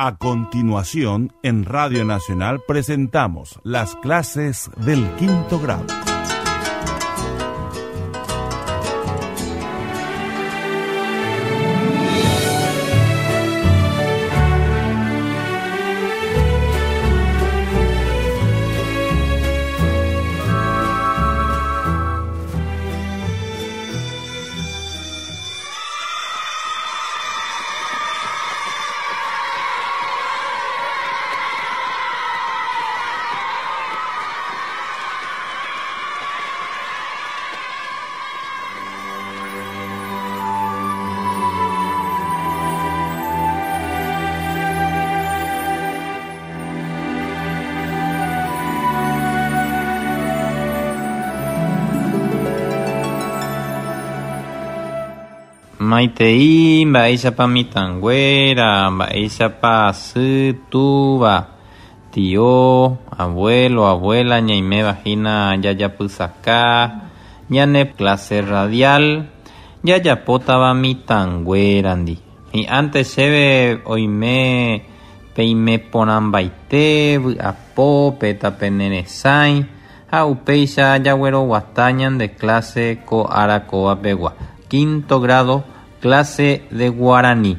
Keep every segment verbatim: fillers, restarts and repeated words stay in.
A continuación, en Radio Nacional presentamos las clases del quinto grado. Maitei, mba'éichapa mitãnguéra, mba'éichapa sy, túva, tio, abuelo, abuela, ñaiméva hína jajapysaka, ñane clase radial, jajapótava mitãnguérandi. Hi'ánte chéve oime peime porãmbaite, vy'apópe, tapeneresãi ha upéicha jagueroguata ñande clase ko ára kóvapegua. Quinto grado, clase de guaraní.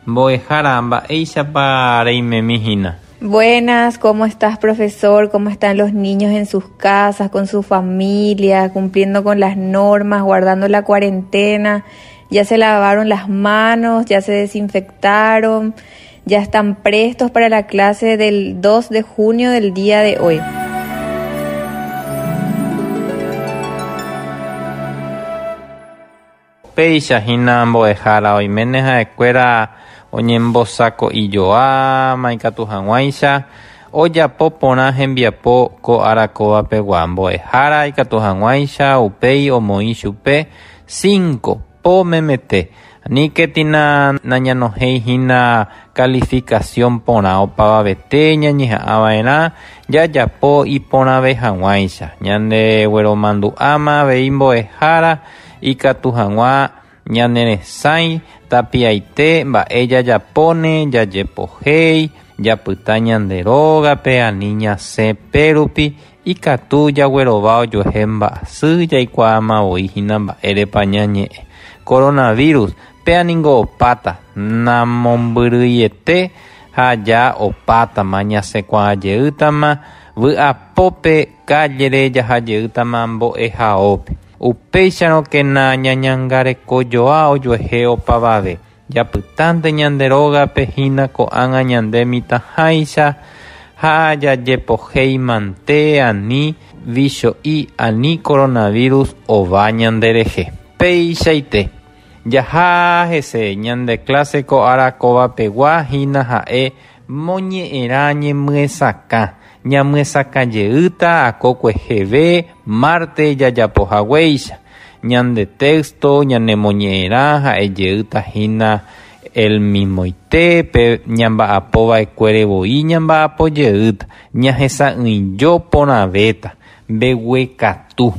Mbo'ehára, mba'éichapa reimemi hína. Buenas, ¿cómo estás, profesor? ¿Cómo están los niños en sus casas, con su familia, cumpliendo con las normas, guardando la cuarentena? Ya se lavaron las manos, ya se desinfectaron, ya están prestos para la clase del dos de junio del día de hoy. Péicha hína mbo'ehára oiméne ha'ekuéra oñembosako'ijoa ikatu hag̃uáicha ojapo porã hembiapo ko ára kóvapegua. Mbo'ehára ikatu hag̃uáicha upéi omoĩ chupe cinco po memete. Aníketina nañanohéi hína calificación porã opavavete ñañeha'ãva'erã jajapo iporãve hag̃uáicha. Ñandegueromandu'áma avei mbo'ehára ikatu hag̃ua ñaneresãi tapiaite mba'e jajapóne jajepohéi japyta ñande rógape ani ñasẽ pérupi ikatu jaguerova ojuehe mba'asy jaikuaáma voi hína mba'érepa ñañe'ẽ. Coronavirus péa ningo opáta namombyryiete ha ja opátama ñasẽkuaajeýtama vy'apópe cállere jahajeýtama mbo'ehaópe. Upéicharõkena ñañangarekojoa ojuehe opavave. Japytánte ñande rógape hína ko'ág̃a ñande mitãháicha ha jajepohéimante ani vicho'i ani coronavirus ova ñanderehe. Péichaite jaha hese ñande clase ko ára kóvapegua hína ha'e moñe'ẽrã ñemyesakã. Ñamyesakãjeýta akokueheve marte jajapohaguéicha. Ñande texto ñanemoñe'ẽrã ha'ejeýta hína el mismoite pe ñamba'apova'ekuére voi ñamba'apojeýta ñahesa'ỹijo porãvéta mbeguekatu.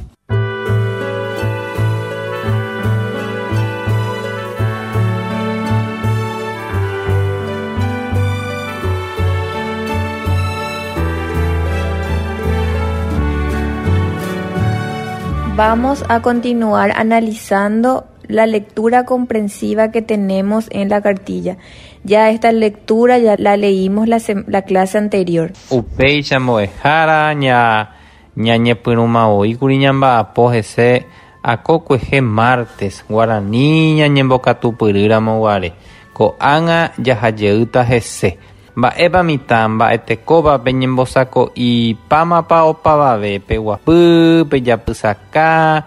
Vamos a continuar analizando la lectura comprensiva que tenemos en la cartilla. Ya esta lectura ya la leímos la, la clase anterior. Upéicha mbo'ehára ña ñañepyrũmavoi ñamba'apo hese akokuehe martes guarani ñañembokatupyrýramo guare. Ko'ág̃a jahajeýta hese. Mba'épa mitã mba'etekóva peñembosako'ipámapa opavave peguapy, pejapysaka,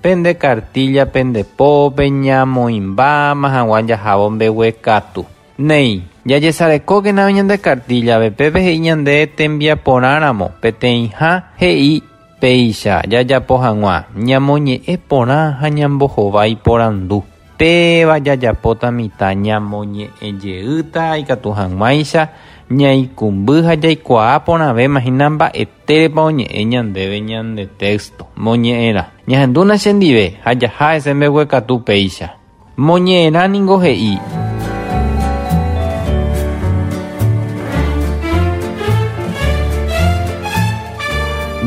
pende cartilla, pende pópe, ñamoĩmbáma hag̃ua jahávo mbeguekatu. Néi, jajesarekókena ñande cartilla pépe he'i ñande tembiaporãramo peteĩha he'i péicha jajapo hag̃ua ñamoñe'ẽ porã ha ñambohovái porandu. Péva jajapóta mitã ñamoñe'ẽjeýta ikatu hag̃uáicha ñaikũmby ha jaikuaa porãvéma hína mba'etérepa oñe'ẽ ñandéve ñande texto moñe'ẽrã. Ñahendúna chendive ha jaha hese mbeguekatu péicha. Moñe'ẽrã ningo he'i.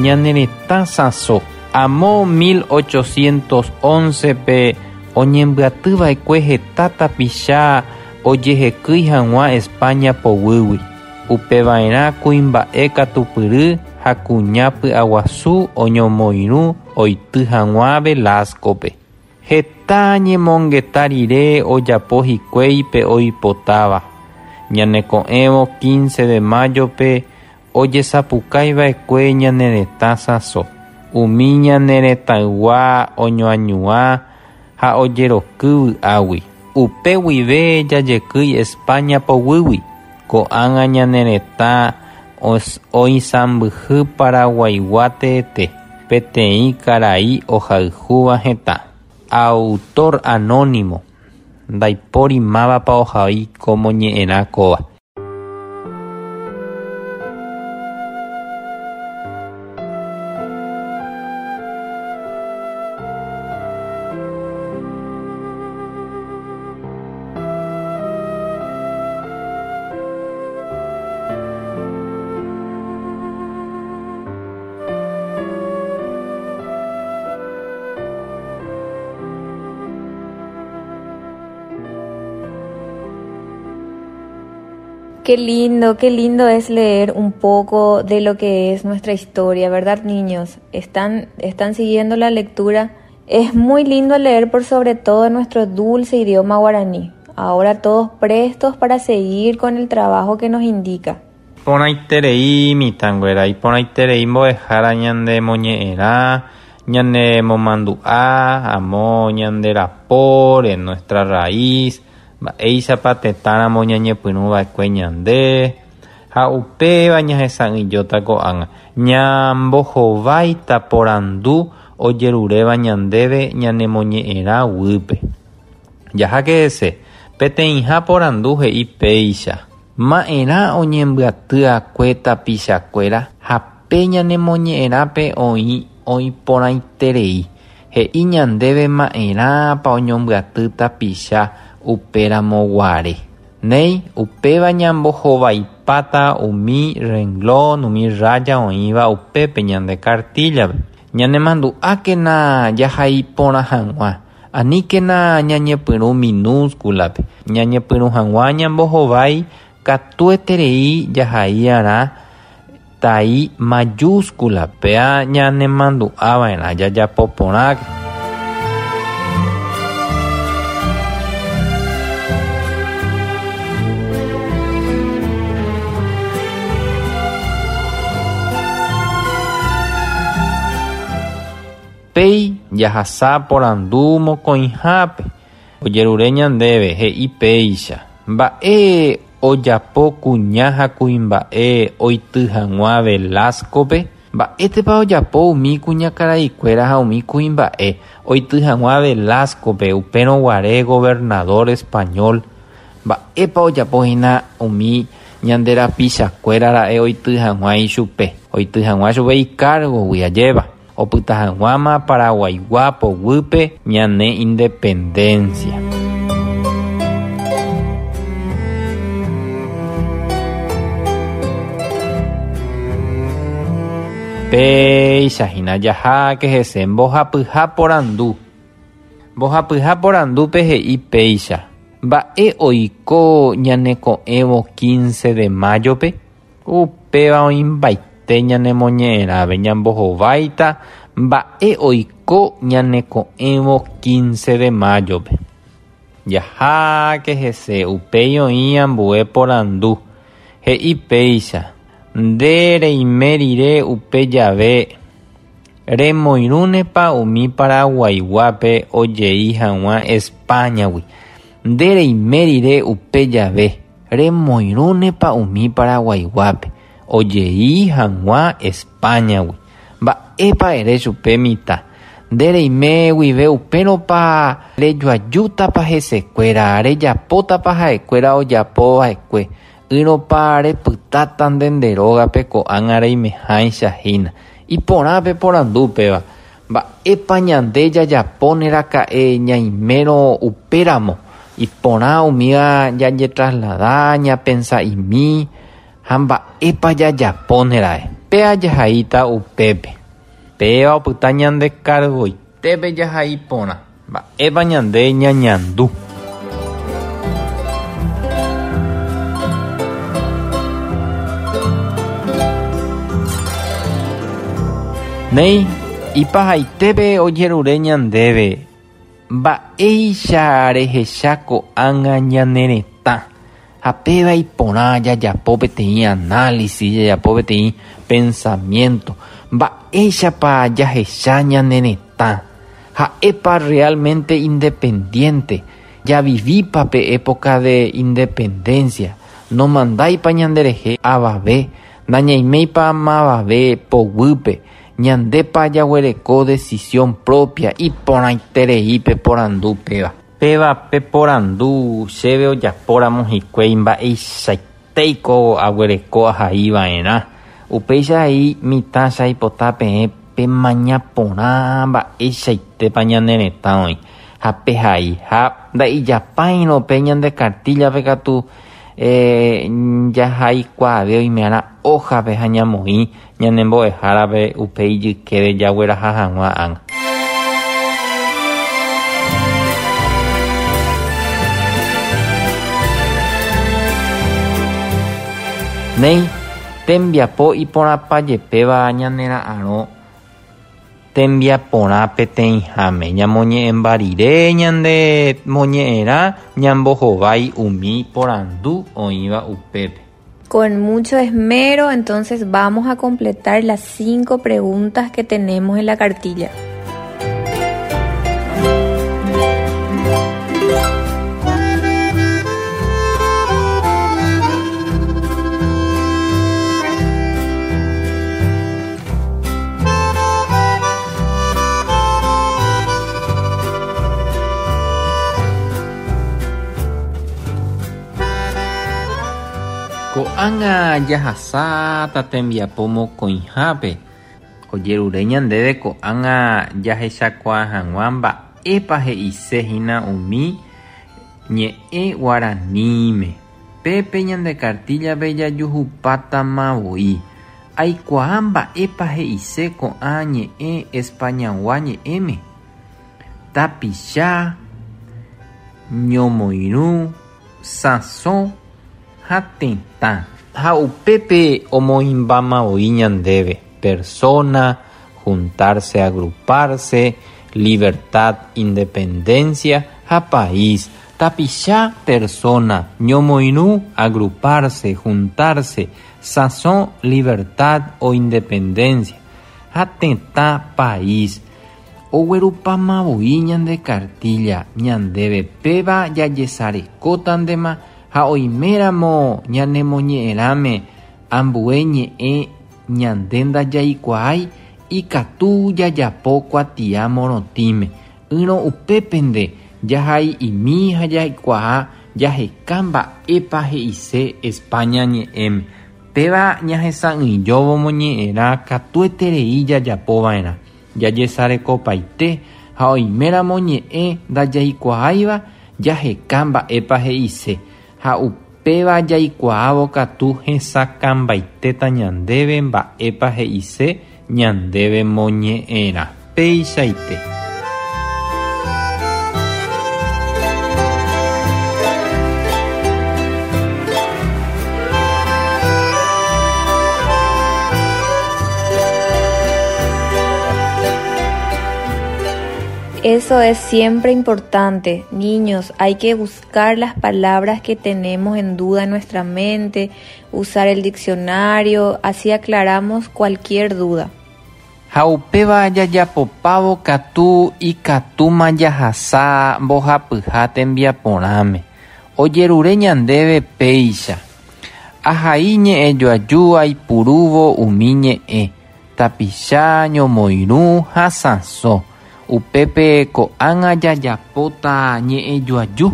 ñane retã sãso. Amo mil ochocientos once pe oñembyatyva'ekue heta tapicha ojehekýi hag̃ua España poguýgui. Upeva'erã kuimba'e katupyry ha kuña py'aguasu oñomoirũ oity hag̃ua Velascope. Heta ñemongeta rire ojapo hikuái pe oipotáva. Ñaneko'ẽvo quince de mayo-pe ojesapukaiva'ekue ñane retã sãso. Umi ñane retãygua oñoañuã ha ojeroky vy'águi. Upe guive jajekýi España poguýgui. Ko'ág̃a ñane retã oisãmbyhy Paraguaigua teete. Peteĩ karai ohayhúva hetã. Autor anónimo. Ndaipóri mávapa ohai ko moñe'ẽrã kóva. Qué lindo, qué lindo es leer un poco de lo que es nuestra historia, ¿verdad, niños? ¿Están, están siguiendo la lectura? Es muy lindo leer por sobre todo nuestro dulce idioma guaraní. Ahora todos prestos para seguir con el trabajo que nos indica. Iporãiterei mitãnguéra, iporãiterei mbo'ehára ñande moñe'ẽrã, ñane momandu'a, amo ñande rapóre, nuestra raíz, mba'éichapa tetãramo ñañepyrũva'ekue ñande ha upéva ñahesa'ỹijóta ko'ág̃a. Ñambohováita porandu ojeruréva ñandéve ñanemoñe'ẽrã guýpe. Jaháke hese, peteĩha porandu he'i péicha. Ma'erã oñembyaty'akue tapichakuéra ha pe ñanemoñe'ẽrãpe oĩ oĩporãiterei. He'i ñandéve ma'erãpa oñombyaty tapicha upéramo guare. Néi, upéva ñambohovaipáta umi renglón, umi raya oĩva upépe ñande cartillape. Ñanemandu'ákena jahaiporã hag̃ua. Aníkena ñañepyrũ minúsculape. Ñañepyrũ hag̃ua ñambohovái katueterei jahai'arã tai mayúscula. Péa ñanemandu'ava'erã jajapoporãke. Péi jahasa porandu mokõihápe. Ojerure ñandéve he'i péicha. Mba'e ojapo kuña ha kuimba'e oity hag̃ua Velascope? Mba'étepa ojapo umi kuñakaraikuéra ha umi kuimba'e oity hag̃ua Velascope upérõ guare gobernador español? Mba'épa ojapo hína umi ñande rapichakuéra ra'e oity hag̃ua ichupe? Oity hag̃ua chupe icargogui ajéva. Opyta hag̃uáma Paraguaigua poguýpe ñane independencia. Péicha hína jaháke hese mbohapyha porandu. Mbohapyha porandúpe he'i péicha. Mba'e oiko ñaneko'ẽvo quince de mayo-pe? Upéva oĩmbaite ñanemoñe'ẽrãve ñambohováita mba'e oiko ñaneko'ẽvo quince de mayo-pe. Jaháke hese upéi oĩ ambue porandu. He'i péicha. Nde reime rire upe jave remoirũnepa umi Paraguaiguápe ojei hag̃ua Españagui. Nde reime rire upe jave remoirũnepa umi Paraguaiguápe ojei hag̃ua Españagui. Mba'épa ere chupe mitã. Nde reime guive upérõpa rejoajútapa hesekuéra, rejapótapa ha'ekuéra ojapova'ekue. Ỹrõpa repytáta nde nde rógape ko'ág̃a reimeháicha hína. Iporãpe porandu upéva. Mba'épa ñande jajapóne raka'e ñaimérõ upéramo. Iporã umíva jajetraslada, ñapensa'imi ha mba'épa jajapóne ra'e. Péa jahaíta upépe. Péva opyta ñande cargoitépe jahai porã. Mba'épa ñande ñañandu. Néi, ipahaitépe ojerure ñandéve. Mba'éicha rehecha ko'ág̃a ñane retã. Ha péva iporã jajapo peteĩ análisis, jajapo peteĩ pensamiento. Mba'éichapa jahecha ñane retã. Ha'épa realmente independiente. Javivípa pe época de independencia. Nomandáipa ñanderehe avave. Nañaiméipa mavave poguýpe. Ñandépa jaguereko decisión propia iporãiterei peporandu péva. Péva peporandu chéve ojapóramo hikuái mba'eichaitéiko aguereko ahaiva'erã. Upéicha he'i mitã chaipota peẽ pemaña porã mba'eichaitépa ñane retã oĩ. Ha pehai ha nda'ijapáirõ pe ñande cartillape katu eh, jahaikuaave oime'arã hojape ha ñamoĩ ñanembo'ehárape upe ijykére jagueraha hag̃ua ág̃a. Néi, tembiapo iporãpajepéva ñanera'ãrõ tembiaporã peteĩháme. Ñamoñe'ẽmba rire ñande moñe'ẽrã ñambohovái umi porandu oĩva upépe. Con mucho esmero, entonces vamos a completar las cinco preguntas que tenemos en la cartilla. Ko'ág̃a jahasáta tembiapo mokõihápe. Ojerure ñandéve ko'ág̃a jahechakuaa hag̃ua mba'épa he'isehína umi ñe'ẽ guaraníme. Pépe ñande cartillape jajuhupátama voi. Aikuaa mba'épa he'ise ko'ã ñe'ẽ Españagua ñe'ẽme. Tapicha, ñomoirũ, sãso ha tetã. Ha upépe omoĩmbáma voi ñandéve. Persona, juntarse, agruparse, libertad, independencia ha país. Tapicha, persona, ñomoirũ, agruparse, juntarse, sãso, libertad o independencia. Ha tetã, país. Oguerupáma voi ñande cartilla ñandéve péva jajesarekótantema ha oiméramo ñanemoñe'ẽrãme ambue ñe'ẽ ñande ndajaikuaái ikatu jajapo kuatia morotĩme. Ỹrõ upépente jahai'imi ha jaikuaa jaheka mba'épa he'ise España ñe'ẽme. Péva ñahesa'ỹijóvo moñe'ẽrã katueterei jajapova'erã. Jajesarekopaite ha oiméramo ñe'ẽ ndajaikuaáiva jaheka mba'épa he'ise. Ha upéva jaikuaávo katu hesakãmbaitéta ñandéve mba'épa he'ise ñandéve moñe'ẽrã. Péichaite. Eso es siempre importante. Niños, hay que buscar las palabras que tenemos en duda en nuestra mente, usar el diccionario, así aclaramos cualquier duda. Ha upéva jajapopávo katu ikatúma jahasa mbohapyha tembiaporãme. Ojerure ñandéve péicha. Ahai ñe'ẽjoaju aipurúvo umi ñe'ẽ. Tapicha ñomoirũ ha sãso. Upépe ko'ág̃a jajapóta ñe'ẽjoaju,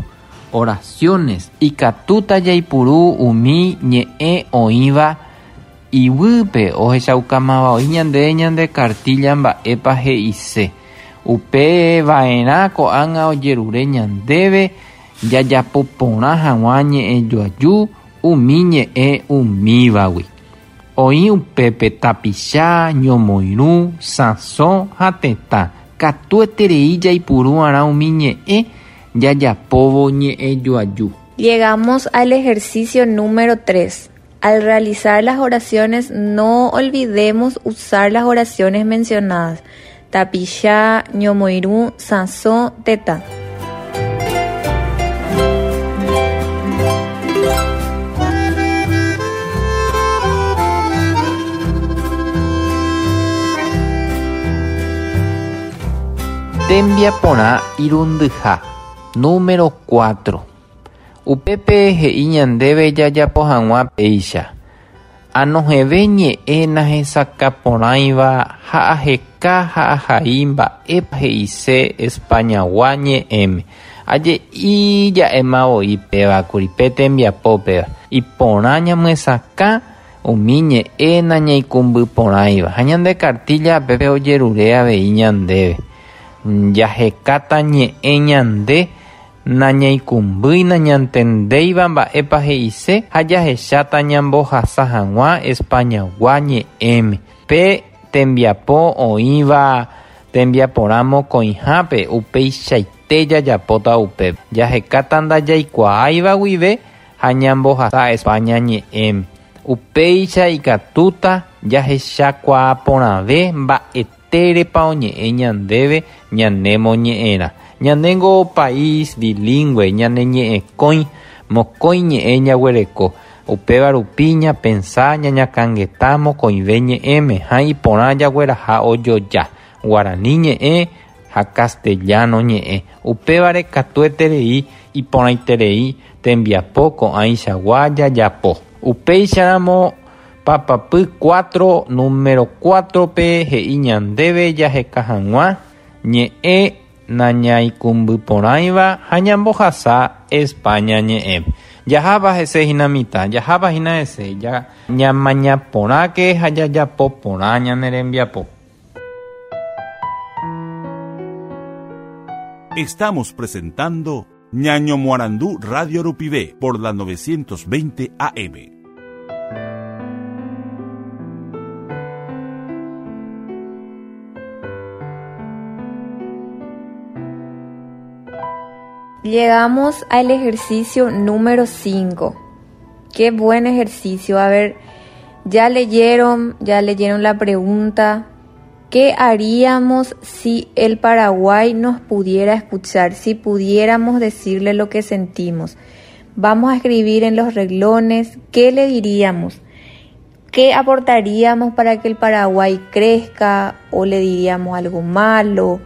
oraciones, ikatúta jaipuru umi ñe'ẽ oĩva iguýpe ohechaukámava oĩ ñande ñande cartilla mba'épa he'ise. Upeva'erã ko'ág̃a ojerure ñandéve jajapo porã hag̃ua ñe'ẽjoaju umi ñe'ẽ umívagui. Oĩ upépe tapicha, ñomoirũ, sãso ha tetã. Katueterei jaipuru'arã umi ñe'ẽ jajapóvo ñe'ẽjoaju. Llegamos al ejercicio número tres. Al realizar las oraciones, no olvidemos usar las oraciones mencionadas. Tapicha, ñomoirũ, sãso, tetã. Tembiaporã irundyha, número cuatro. Upépe he'i ñandéve jajapo hag̃ua péicha. Anohẽve ñe'ẽ nahesakãporãiva ha aheka ha ahai mba'épa he'ise Españagua ñe'ẽme. Aje'i ja'émavoi pévakuri pe tembiapópeva. Iporã ñamyesakã umi ñe'ẽ nañaikũmbyporãiva ha ñande cartilla pépe ojerure avei ñandéve. Jahekáta ñe'ẽ ñande nañaikũmbýi nañantendéiva mba'épa he'ise ha jahecháta ñambohasa hag̃ua Españagua ñe'ẽme. Pe tembiapo oĩva tembiaporã mokõihápe upeichaite jajapóta upépe. Jahekáta ndajaikuaáiva guive ha ñambohasa España ñe'ẽme. Upéicha ikatúta jahechakuaaporãve mba'etérepa oñe'ẽ ñandéve ñanemoñe'ẽrã. Ñanengo país bilingüe, ñane ñe'ẽkõi, mokõi ñe'ẽ ñaguereko. Upéva rupi ñapensa ñañakãngeta mokõive ñe'ẽme ha iporã jagueraha ojoja. Guarani ñe'ẽ ha castellano ñe'ẽ. Upévare katueterei iporãiterei tembiapo ko'ãichagua jajapo. Upéicharamo papapy cuatro, número cuatro pe he'i ñandéve jaheka hag̃ua ñe'ẽ nañaikũmbyporãiva ha ñambohasa España ñe'ẽ. Jaháva hese hína mitã, jaháva hína hese, ja ñamañaporãke ha jajapoporã ñane rembiapo. Estamos presentando Ñaño Moarandú Radio Rupivé por la novecientos veinte A M. Llegamos al ejercicio número cinco. Qué buen ejercicio. A ver, ya leyeron, ya leyeron la pregunta. ¿Qué haríamos si el Paraguay nos pudiera escuchar? Si pudiéramos decirle lo que sentimos. Vamos a escribir en los reglones. ¿Qué le diríamos? ¿Qué aportaríamos para que el Paraguay crezca? ¿O le diríamos algo malo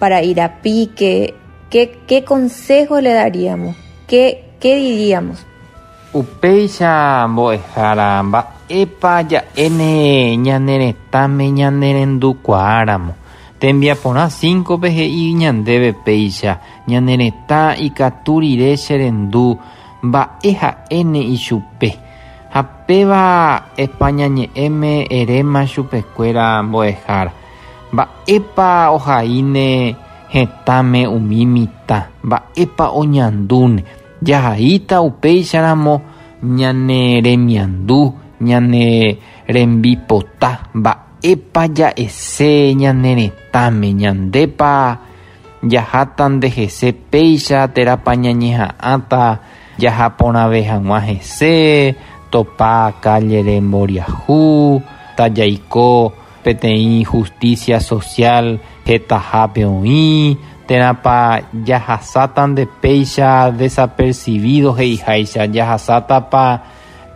para ir a pique? ¿Qué, qué consejo le daríamos? ¿Qué, qué diríamos? Upéicha mbo'ehára mba'épa ja'éne ñaneretãme ñanerendukuaáramo. Tembiaporã cinco pe he'i ñandéve péicha ñaneretã ikatu rire cherendu mba'e ha'éne ichupe. Ha péva España ñe'ẽme eréma chupekuéra mbo'ehára. Mba'épa ohaíne hetãme umi mitã, mba'épa oñandúne. Jahaíta upéicharamo ñane remiandu, ñane rembipota, mba'épa ja'ese ñane retãme, ñandépa jaháta ndehese péicha térãpa ñañeha'ãta jahaporãve hag̃ua hese, topa calle remboriahu, tajaiko peteĩ justicia social hetahápe oĩ, térãpa jahasáta nde péicha desapercibido he'iháicha, jahasátapa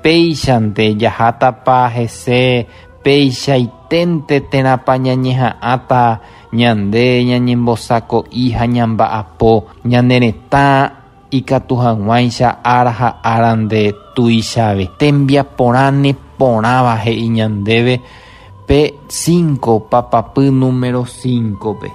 péichante, jahátapa hese peichaiténte térãpa ñañeha'ãta ñande ñañembosako'i ha ñamba'apo ñane retã ikatu hag̃uáicha ára ha ára nde tuichave. Tembiaporã neporãva he'i ñandéve pe cinco, papapy número cinco pe.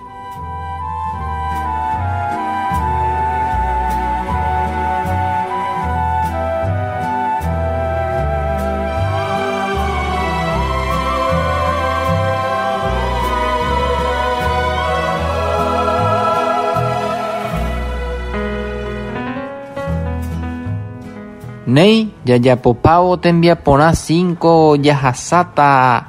Néi Jajapopávo tembiaporã cinco jahasáta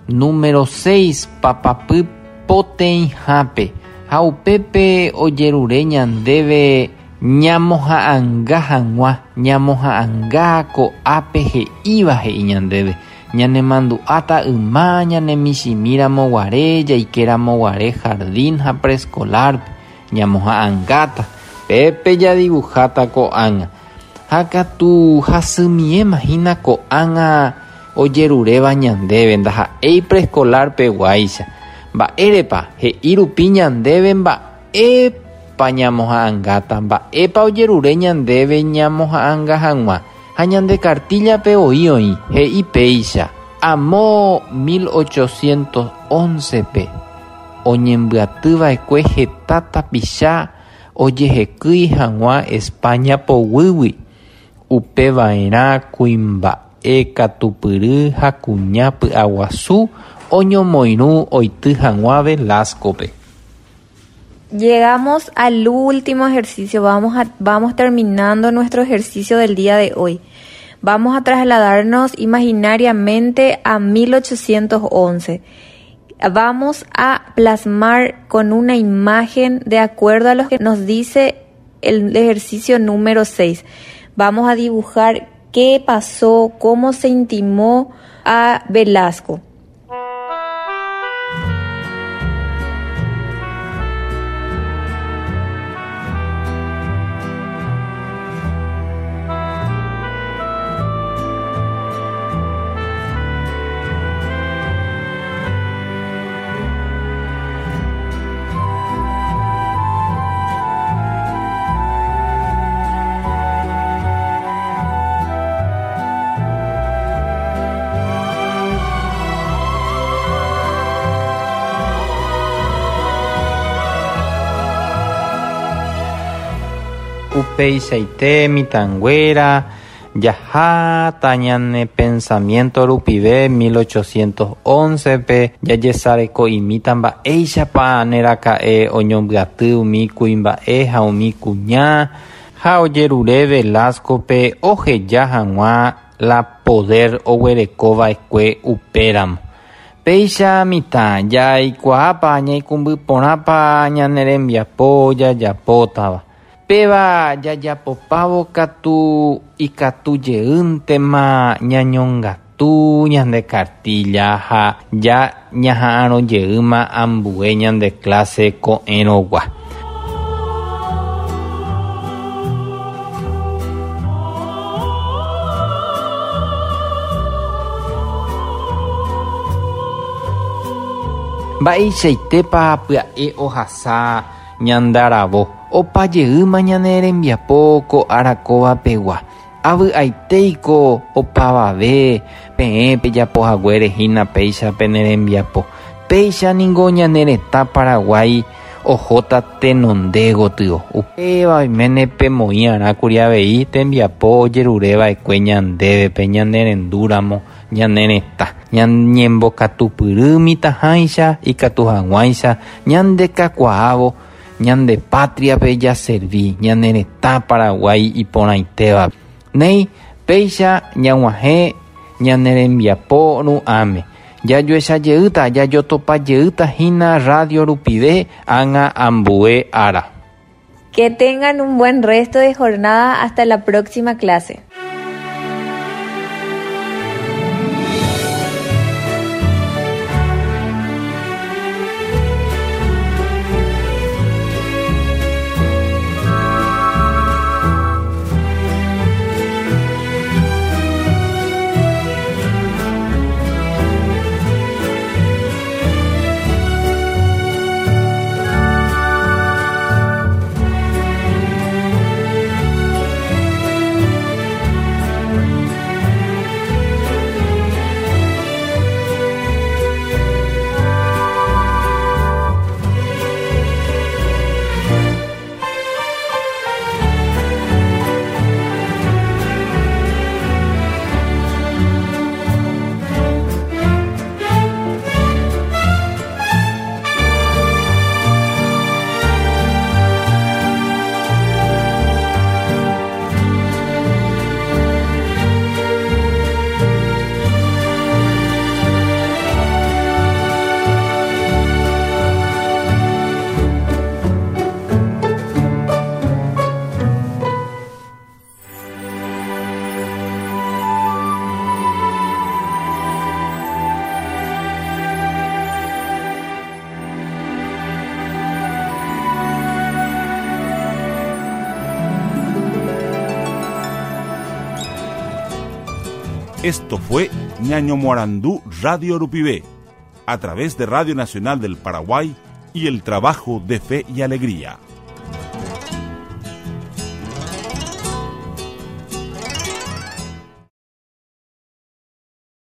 número seis papapy poteĩhápe ha upépe ojerure ñandéve ñamoha'ãnga hag̃ua ñamoha'ãnga ko'ápe he'íva he'i ñandéve ñanemandu'áta yma ñanemichĩmiramoguare jaikeramoguare jardín ha preescolar ñamoha'ãngáta pépe jadibujáta ko'ág̃a ha katu hasymiéma hína ko'ág̃a ojeruréva ñandéve ndaha'éi preescolar-peguáicha mba'érepa he'i rupi ñandéve mba'épa ñamoha'ãngáta mba'épa ojerure ñandéve ñamoha'ãnga hag̃ua ha ñande cartilla-pe oĩ oĩ he'i péicha amo mil ochocientos once-pe oñembyatyva'ekue heta tapicha ojehekýi hag̃ua España poguýgui upeva'erã kuimba'e katupyry ha kuña py'aguasu oñomoirũ oity hag̃ua Velasco-pe. Llegamos al último ejercicio, vamos, a, vamos terminando nuestro ejercicio del día de hoy. Vamos a trasladarnos imaginariamente a mil ochocientos once. Vamos a plasmar con una imagen de acuerdo a lo que nos dice el ejercicio número seis. Vamos a dibujar qué pasó, cómo se intimó a Velasco. Upeichaite mitãnguéra jaháta ñane pensamiento rupive mil ochocientos once-pe jajesareko'imíta mba'éichapa neraka'e oñombyaty umi kuimba'e ha umi kuña ha ojerure Velasco-pe oheja hag̃ua la poder oguerekova'ekue upéramo. Péicha mitã jaikuaápa ñaikũmbyporãpa ñane rembiapo jajapótava. Péva jajapopávo katu ikatujeýntema ñañongatu ñande cartilla ha ja ñaha'ãrojeýma ambue ñande clase ko'ẽrõgua. Mba'eichaitépa pya'e ohasa ñandaravo opajeýma ñane rembiapo ko arakóvapegua avy'aitéiko opavave peẽ pejapohaguére hína péicha pene rembiapo péicha ningo ñane retã Paraguái ohóta tenonde gotyo upéva oiméne pemoĩ'arãkuri avei tembiapo ojerureva'ekue ñandévepe ñanerendúramo ñane retã ñañembokatupyry mitãháicha ikatu hag̃uáicha ñandekakuaávo ñande patria-pe jaservi ñane retã Paraguái iporãitéva néi péicha ñag̃uahẽ ñane rembiapo ru'ãme jajoechajeýta jajotopajeýta hína radio rupive ág̃a ambue ára. Que tengan un buen resto de jornada hasta la próxima clase. Esto fue Ñañomoarandú Radio Rupivé, a través de Radio Nacional del Paraguay y el trabajo de Fe y Alegría.